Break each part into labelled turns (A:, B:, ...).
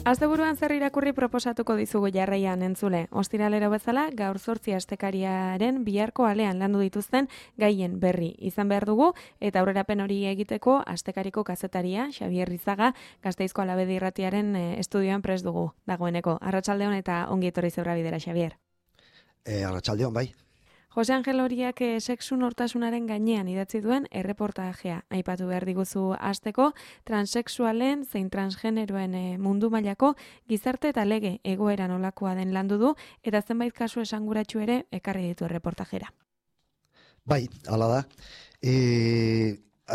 A: Asteburuan zer irakurri proposatuko dizugu jarraian entzule. Ostiralero bezala, gaur 8 astekariaren biharko alean landu dituzten gaien berri izan behar dugu, eta aurrerapen hori egiteko astekariko kazetaria, Xabier Rizaga, Gasteizko Alabedi Irratiaren estudioan prest dugu dagoeneko. Arratsaldeon eta ongi etorri Zeura Bidera, Xabier.
B: Arratsaldeon, bai.
A: Jose Angel Horiak sexu nortasunaren gainean idatzi duen erreportajea aipatu behar diguzu hasteko, transexualen zein transgeneroen mundu mailako gizarte eta lege egoera nolakoa den landu du, eta zenbait kasu esanguratsu ere ekarri ditu erreportajera.
B: Bai, hala da.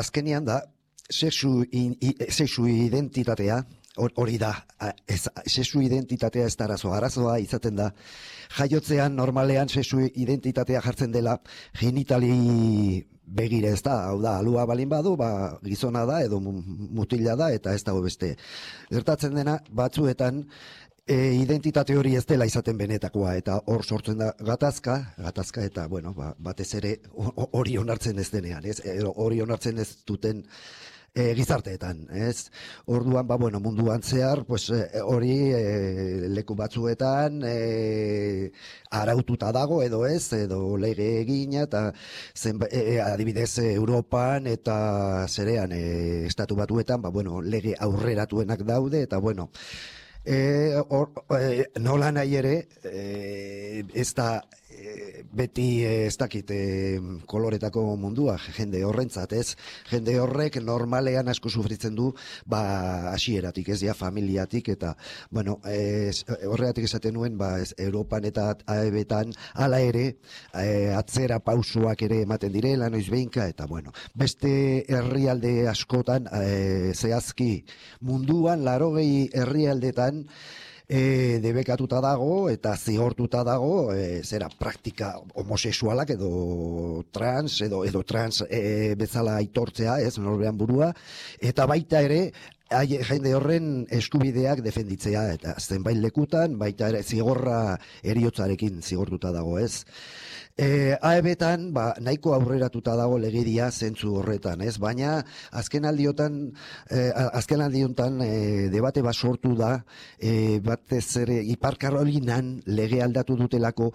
B: Azkenean da, sexu identitatea, hori da, sexu identitatea ez da arazoa izaten da. Jaiotzean normalean sexu identitatea jartzen dela genitali begire, ez da, hau da, alua balin badu, gizona da edo mutila da eta ez dago beste. Gertatzen dena batzuetan identitate hori ez dela izaten benetakoa, eta hor sortzen da gatazka eta, bueno, batez ere hori onartzen ez denean, ez? Hori onartzen ez duten gizarteetan, ez? Orduan, bueno, munduan zehar, pues, hori leku batzuetan araututa dago edo ez, edo lege egina, eta adibidez Europan eta zerean estatu batuetan, bueno, lege aurreratuenak daude, eta bueno, nola nahi ere, ez da beti ez dakit koloretako mundua jende horrentzat, ez? Jende horrek normalean asko sufritzen du hasieratik, ez, ja, familiatik, eta bueno, horregatik esaten nuen, Europan eta AEB-tan hala ere atzera pausoak ere ematen direla noiz behinka, eta bueno, beste herrialde askotan zehazki munduan 80 herrialdetan debekatuta dago eta zigortuta dago zera praktika homosexualak edo trans bezala aitortzea, ez, norbean burua, eta baita ere jende horren eskubideak defenditzea, eta zenbait lekutan baita ere zigorra eriotzarekin zigortuta dago, ez. AEB-tan nahiko aurreratuta dago legedia zentzu horretan, ez? Baina azken aldiotan debate bat sortu da, batez ere Ipar Karolinan lege aldatu dutelako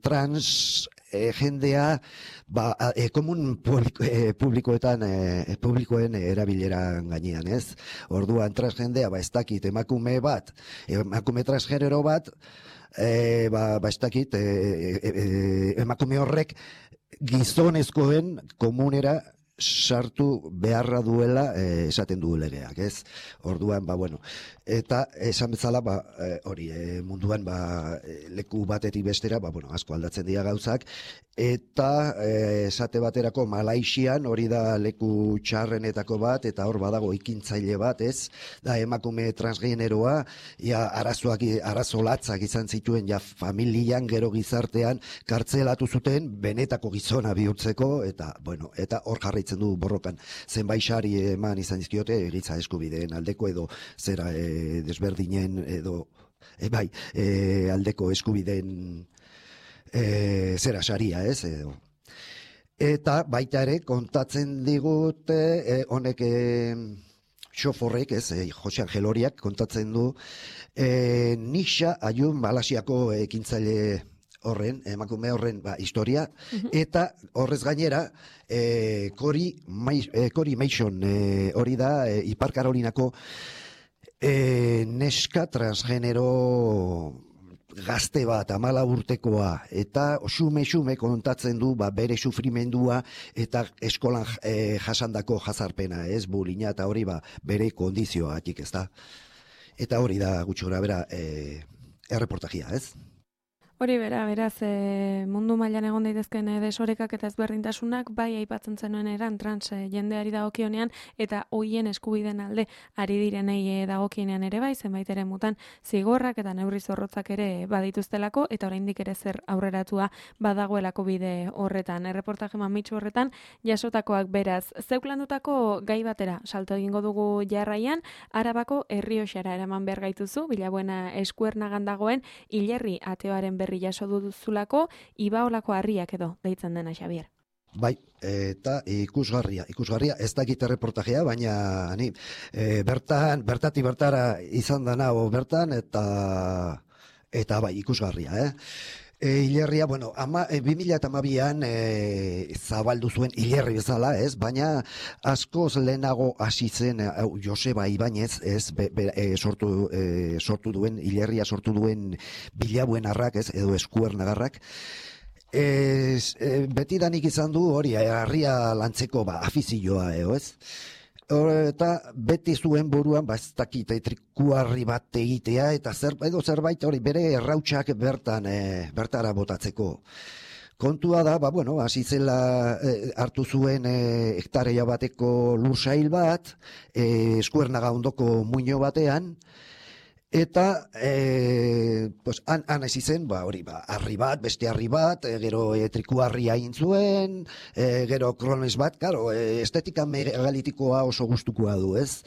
B: trans jendea komun publikoen erabileran gainean, ez? Orduan transjendea, ez dakit, emakume transgenero bat, ez dakit, emakume horrek gizonezkoen komunera sartu beharra duela esaten du legeak, ez? Orduan, bueno, eta esan bezala, hori, munduan, leku batetik bestera, bueno, asko aldatzen dira gauzak, eta esate baterako Malaixian hori da leku txarrenetako bat, eta hor badago ikintzaile bat, ez? Da emakume transgeneroa, arazo latzak izan zituen, familian, gero gizartean, kartzelatu zuten, benetako gizona bihurtzeko, eta, bueno, eta hor jarraitzen du borrokan. Zenbait sari eman izan dizkiote, giza eskubideen aldeko edo zera desberdinen edo aldeko eskubideen zera saria, ez? Eta baita ere kontatzen digute honek xoforrek, ez, Jose Angel Horiak kontatzen du Nisha Ayun Malasiako ekintzaile horren, emakume horren historia, eta horrez gainera Cory Mason hori da Ipar Karolinako neska transgenero gazte bat, 14 urtekoa, eta xume kontatzen du bere sufrimendua eta eskolan jasandako jazarpena, ez, bulina, eta hori bere kondizioatik, ez da. Eta hori da gutxi gora bera erreportajia, ez?
A: Hori beraz, mundu mailan egon daitezkeen desorekak eta ezberdintasunak bai aipatzen zenuen eran trans jendeari dagokionean eta hoien eskubideen alde ari direnei dagokienean ere bai, zenbait ere mutan zigorrak eta neurri zorrotzak ere badituztelako, eta oraindik ere zer aurreratua badagoelako bide horretan. Erreportaje mamitsu horretan jasotakoak beraz. Zeuk landutako gai batera salto egingo dugu jarraian, Arabako Errioxara eraman behar gaituzu, Bilabuena eskuernagan dagoen Hilerri ateoaren berri jaso duzulako, Ibaolako harriak edo deitzen dena, Xabier.
B: Bai, eta ikusgarria, ez dakit reportajea, baina ni bertatik bertara izan dana bertan, eta bai, ikusgarria, Hilerria, bueno, 2012an zabaldu zuen hilerri bezala, ez? Baina askoz lehenago hasi zen Joseba Ibañez, ez? Sortu duen, hilerria sortu duen Bilabuen arrak, ez? Edo Eskuernagarrak. Betidanik izan du hori, harria lantzeko afizioa, ez? Eta beti zuen buruan, ez dakit, trikuarri bat egitea, eta zerbait hori bere errautsak bertara botatzeko. Kontua da, hasi zela hartu zuen hektarea bateko lursail bat, Eskuernaga ondoko muino batean, eta han hasi zen, harri bat, beste harri bat, gero trikuarria egin zuen, gero krones bat, karo, estetika megalitikoa oso gustukoa du, ez?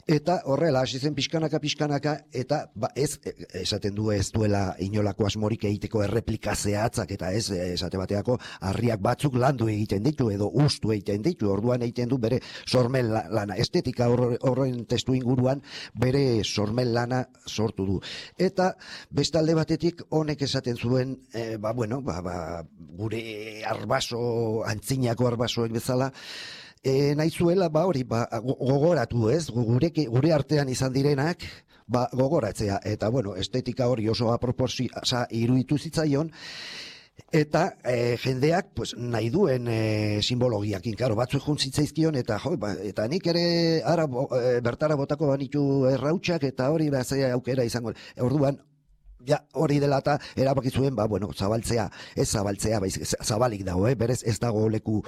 B: Eta horrela, hasi zen pixkanaka, eta ez, esaten du ez duela inolako asmorik egiteko erreplika zehatzak, eta ez, esate bateako, harriak batzuk landu egiten ditu, edo ustu egiten ditu, orduan egiten du bere sormen lana, estetika horren testu inguruan, bere sormen lana sortu du. Eta bestalde batetik honek esaten zuen, gure arbaso, antzinako arbasoek bezala, nahi zuela, gogoratu, ez? Gure artean izan direnak, gogoratzea. Eta, estetika hori oso aproposa iruditu zitzaion, eta jendeak nahi duen simbologiakin, karo, batzuk juntzitzaizkion, eta nik ere bertara botako banitu errautsak, eta hori zea aukera izango. Orduan, hori dela eta erabaki zuen, zabaltzea, ez zabaltzea, zabalik dago, berez ez dago leku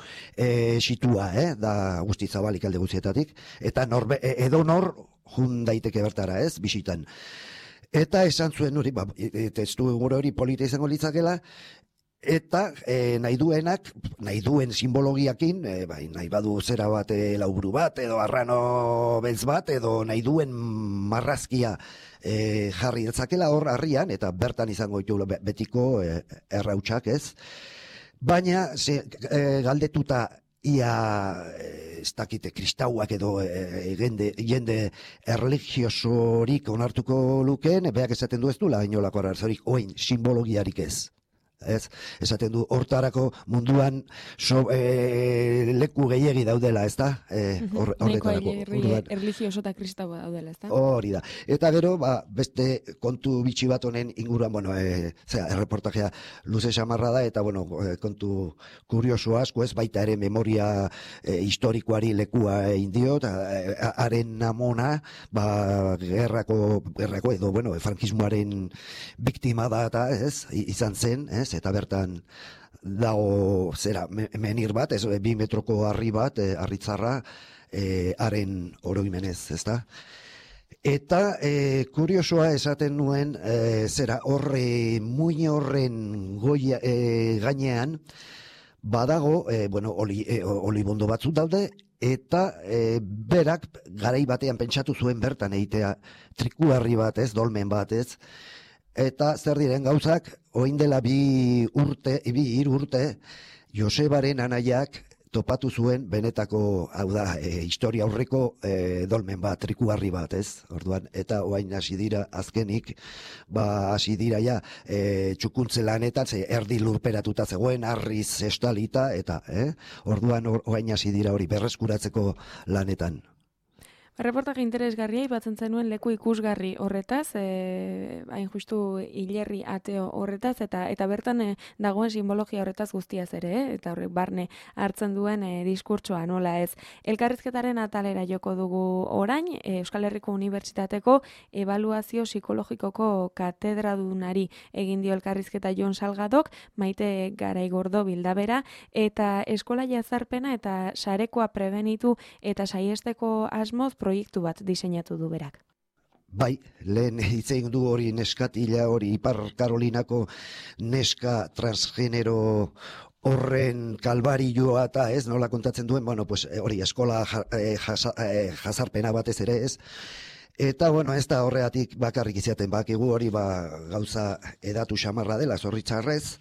B: situa, da guzti zabalik alde guztietatik, eta edo nor jun daiteke bertara, ez, bisitan. Eta esan zuen hori, testu hori polita izango litzakela, eta nahi duen simbologiakin, nahi badu zera bat lauburu bat, edo arrano beltz bat, edo nahi duen marrazkia jarri detzakela hor harrian, eta bertan izango ditu betiko errautsak, ez? Baina, galdetuta ia ez dakite kristauak edo jende erligiosorik onartuko lukeen, beak esaten du ez du, inolako arazorik, oin, simbologiarik ez. Esaten du, hortarako munduan leku gehiegi daudela, ez da?
A: Horretarako. Erligioso eta kristaua daudela, ez da?
B: Hori da. Eta gero, beste kontu bitxi bat honen inguruan, erreportajea luze samarra da, eta, kontu kurioso asko, ez baita ere memoria historikoari lekua indio, eta haren amona, gerrako edo, frankismoaren biktima da, eta, ez, izan zen, ez, eta bertan dago menir bat, 2 metroko harri bat, harritzarra, haren oroimenez, ez da? Eta kuriosoa esaten nuen, muin horren gainean, badago, olibondo batzuk daude, eta berak garai batean pentsatu zuen bertan egitea trikuarri bat, ez, dolmen bat, ez, eta zer diren gauzak, orain dela 3 urte, Josebaren anaiak topatu zuen benetako, hau da, historia aurreko dolmen bat, trikuarri bat, ez? Orduan, eta orain hasi dira azkenik, hasi dira ja txukuntze lanetan, erdi lurperatuta zegoen, harriz estalita, eta, orduan orain hasi dira hori berreskuratzeko lanetan.
A: Reportaje interesgarria ipatzen zenuen leku ikusgarri horretaz, hain justu hilerri ateo horretaz, eta bertan dagoen simbologia horretaz guztiaz ere, eta horrek barne hartzen duen diskurtsoa nola ez. Elkarrizketaren atalera joko dugu orain, Euskal Herriko Unibertsitateko ebaluazio psikologikoko katedradunari egin dio elkarrizketa Jon Salgadok, Maite Garaigordo Bildabera, eta eskola jazarpena eta sarekoa prebenitu eta saiesteko asmoz proiektu bat diseinatu du berak.
B: Bai, lehen hitz egin du hori neskatila hori Ipar Karolinako neska transgenero horren kalbarioa eta ez, nola kontatzen duen, hori eskola jazarpena batez ere ez. Eta, ez da horreatik bakarrik izaten bakigu hori gauza edatu xamarra dela, zorritzarrez.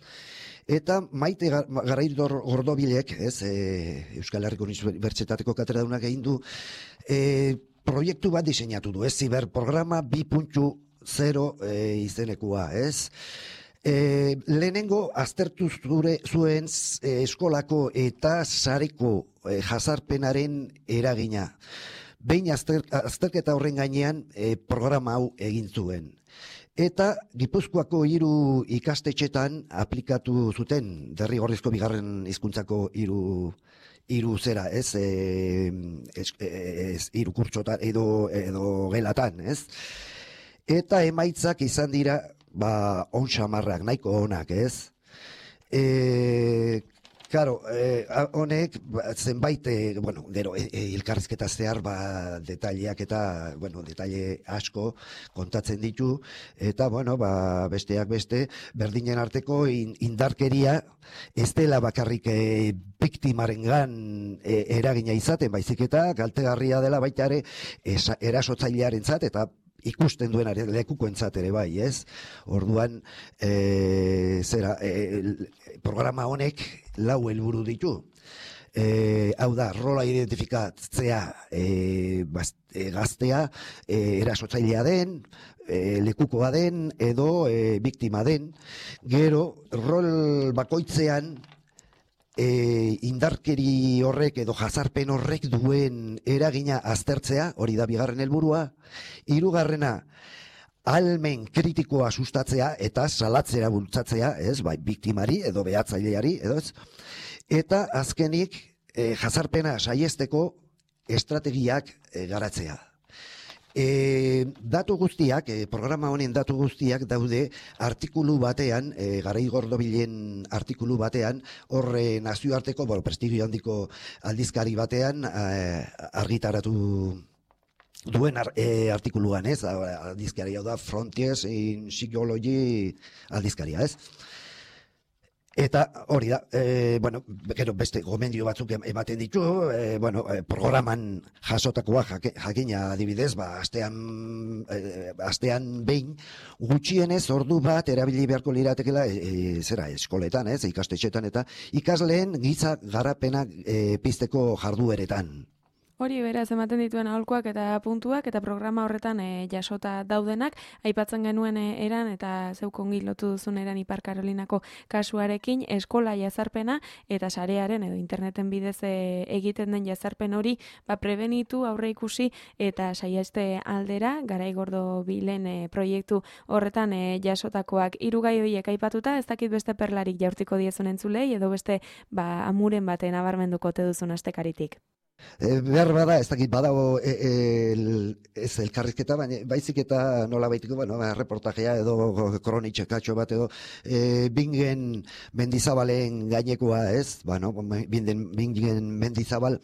B: Eta Maite Garaidor Gordobilek, ez, Euskal Herriko Unibertsitateko katedradunak egin du, proiektu bat diseinatu du, ez, ziberprograma 2.0 izenekua, ez. Lehenengo aztertu zuen eskolako eta sareko jazarpenaren eragina. Behin azterketa horren gainean programa hau egin zuen. Eta Gipuzkoako 3 ikastetxetan aplikatu zuten, derrigorrezko bigarren hizkuntzako 3 zera, ez, 3 kurtsotan edo gelatan, ez. Eta emaitzak izan dira, on xamarrak, nahiko onak, ez. Claro, honek zenbait, gero, elkarrizketa zehar, detaileak eta, detaile asko kontatzen ditu, eta, besteak beste, berdinen arteko indarkeria ez dela bakarrik biktimarengan eragina izaten, baizik eta kaltegarria dela baita ere erasotzailearentzat eta ikusten duen lekukoentzat ere bai, ez? Orduan, programa honek 4 helburu ditu. Hau da, rola identifikatzea gaztea, erasotzailea den, lekukoa den, edo biktima den. Gero, rol bakoitzean, indarkeri horrek edo jazarpen horrek duen eragina aztertzea, hori da 2. helburua. 3. Ahalmen kritikoa sustatzea eta salatzera bultzatzea, ez, biktimari edo behatzaileari, edo ez. Eta azkenik jazarpena saiesteko estrategiak garatzea. Datu guztiak, programa honen datu guztiak daude artikulu batean, Garai Gordobilen artikulu batean, horre nazioarteko, prestigio handiko aldizkari batean argitaratu duen artikuluan, ez? Aldizkaria da Frontiers in Psychology aldizkaria, ez? Eta hori da, gero beste gomendio batzuk ematen ditu, programan jasotakoa jakina adibidez, astean behin gutxienez ordu bat erabili beharko liratekela eskoletan, ez, ikastetxetan eta ikasleen giza garapena pizteko jardueretan.
A: Hori beraz ematen dituen aholkuak eta puntuak eta programa horretan jasota daudenak, aipatzen genuen eran eta zeuk ongi lotu duzun eran Ipar Karolinako kasuarekin eskola jazarpena eta sarearen edo interneten bidez egiten den jazarpen hori prebenitu, aurre ikusi eta saieste aldera Garai Gordobilen proiektu horretan jasotakoak 3 gai horiek aipatuta, ez dakit beste perlarik jaurtiko diezun entzulei edo beste amuren baten abarmenduko te duzun astekaritik.
B: Behar bada, ez dakit badago ez elkarrizketa, baina baizik eta nola baitiko, reportajea edo kronitxekatxo bat edo Bingen Mendizabalen gainekoa, ez? Bingen Mendizabal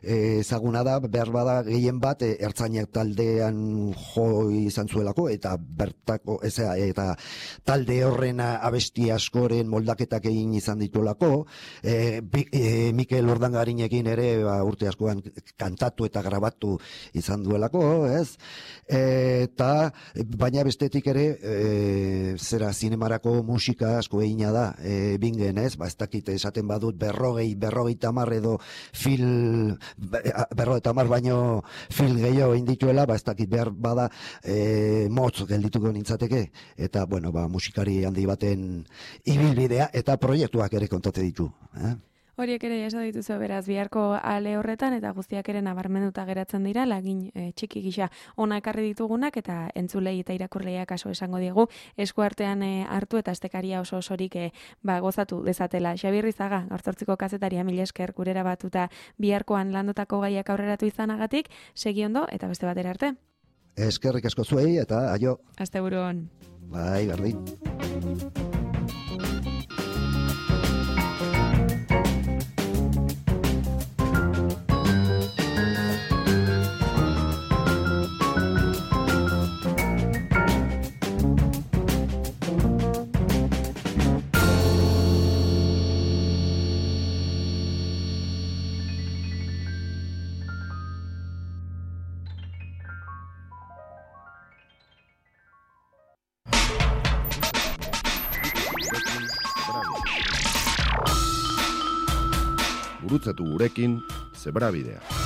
B: ezaguna da, behar bada gehien bat ertzainak taldean jo izan zuelako eta bertako, eta talde horren abesti askoren moldaketak egin izan dituelako, Mikel Ordangarinekin ere urte askoan kantatu eta grabatu izan duelako, ez? Eta baina bestetik zi zinemarako musika asko egina da Bingen, ez? Ez dakit esaten badut 50 edo film 50 baino film gehiago egin dituela, ez dakit behar bada motz geldituko nintzateke, eta musikari handi baten ibilbidea eta proiektuak ere kontate ditu.
A: Horiek ere jaso dituzu beraz biharko ale horretan eta guztiak ere nabarmenduta geratzen dira lagin txiki gisa ona ekarri ditugunak eta entzulei eta irakurleiak kaso esango diegu eskuartean hartu eta astekaria oso osorik gozatu dezatela. Xabi Rizaga, gaur 8ko kazetaria, mila esker gurera batuta biharkoan landotako gaiak aurreratu izanagatik, segi ondo eta beste batera arte.
B: Eskerrik asko zuei eta aio.
A: Asteburu on.
B: Bai, berdin.
C: Gurutzatu gurekin, Zebrabidea.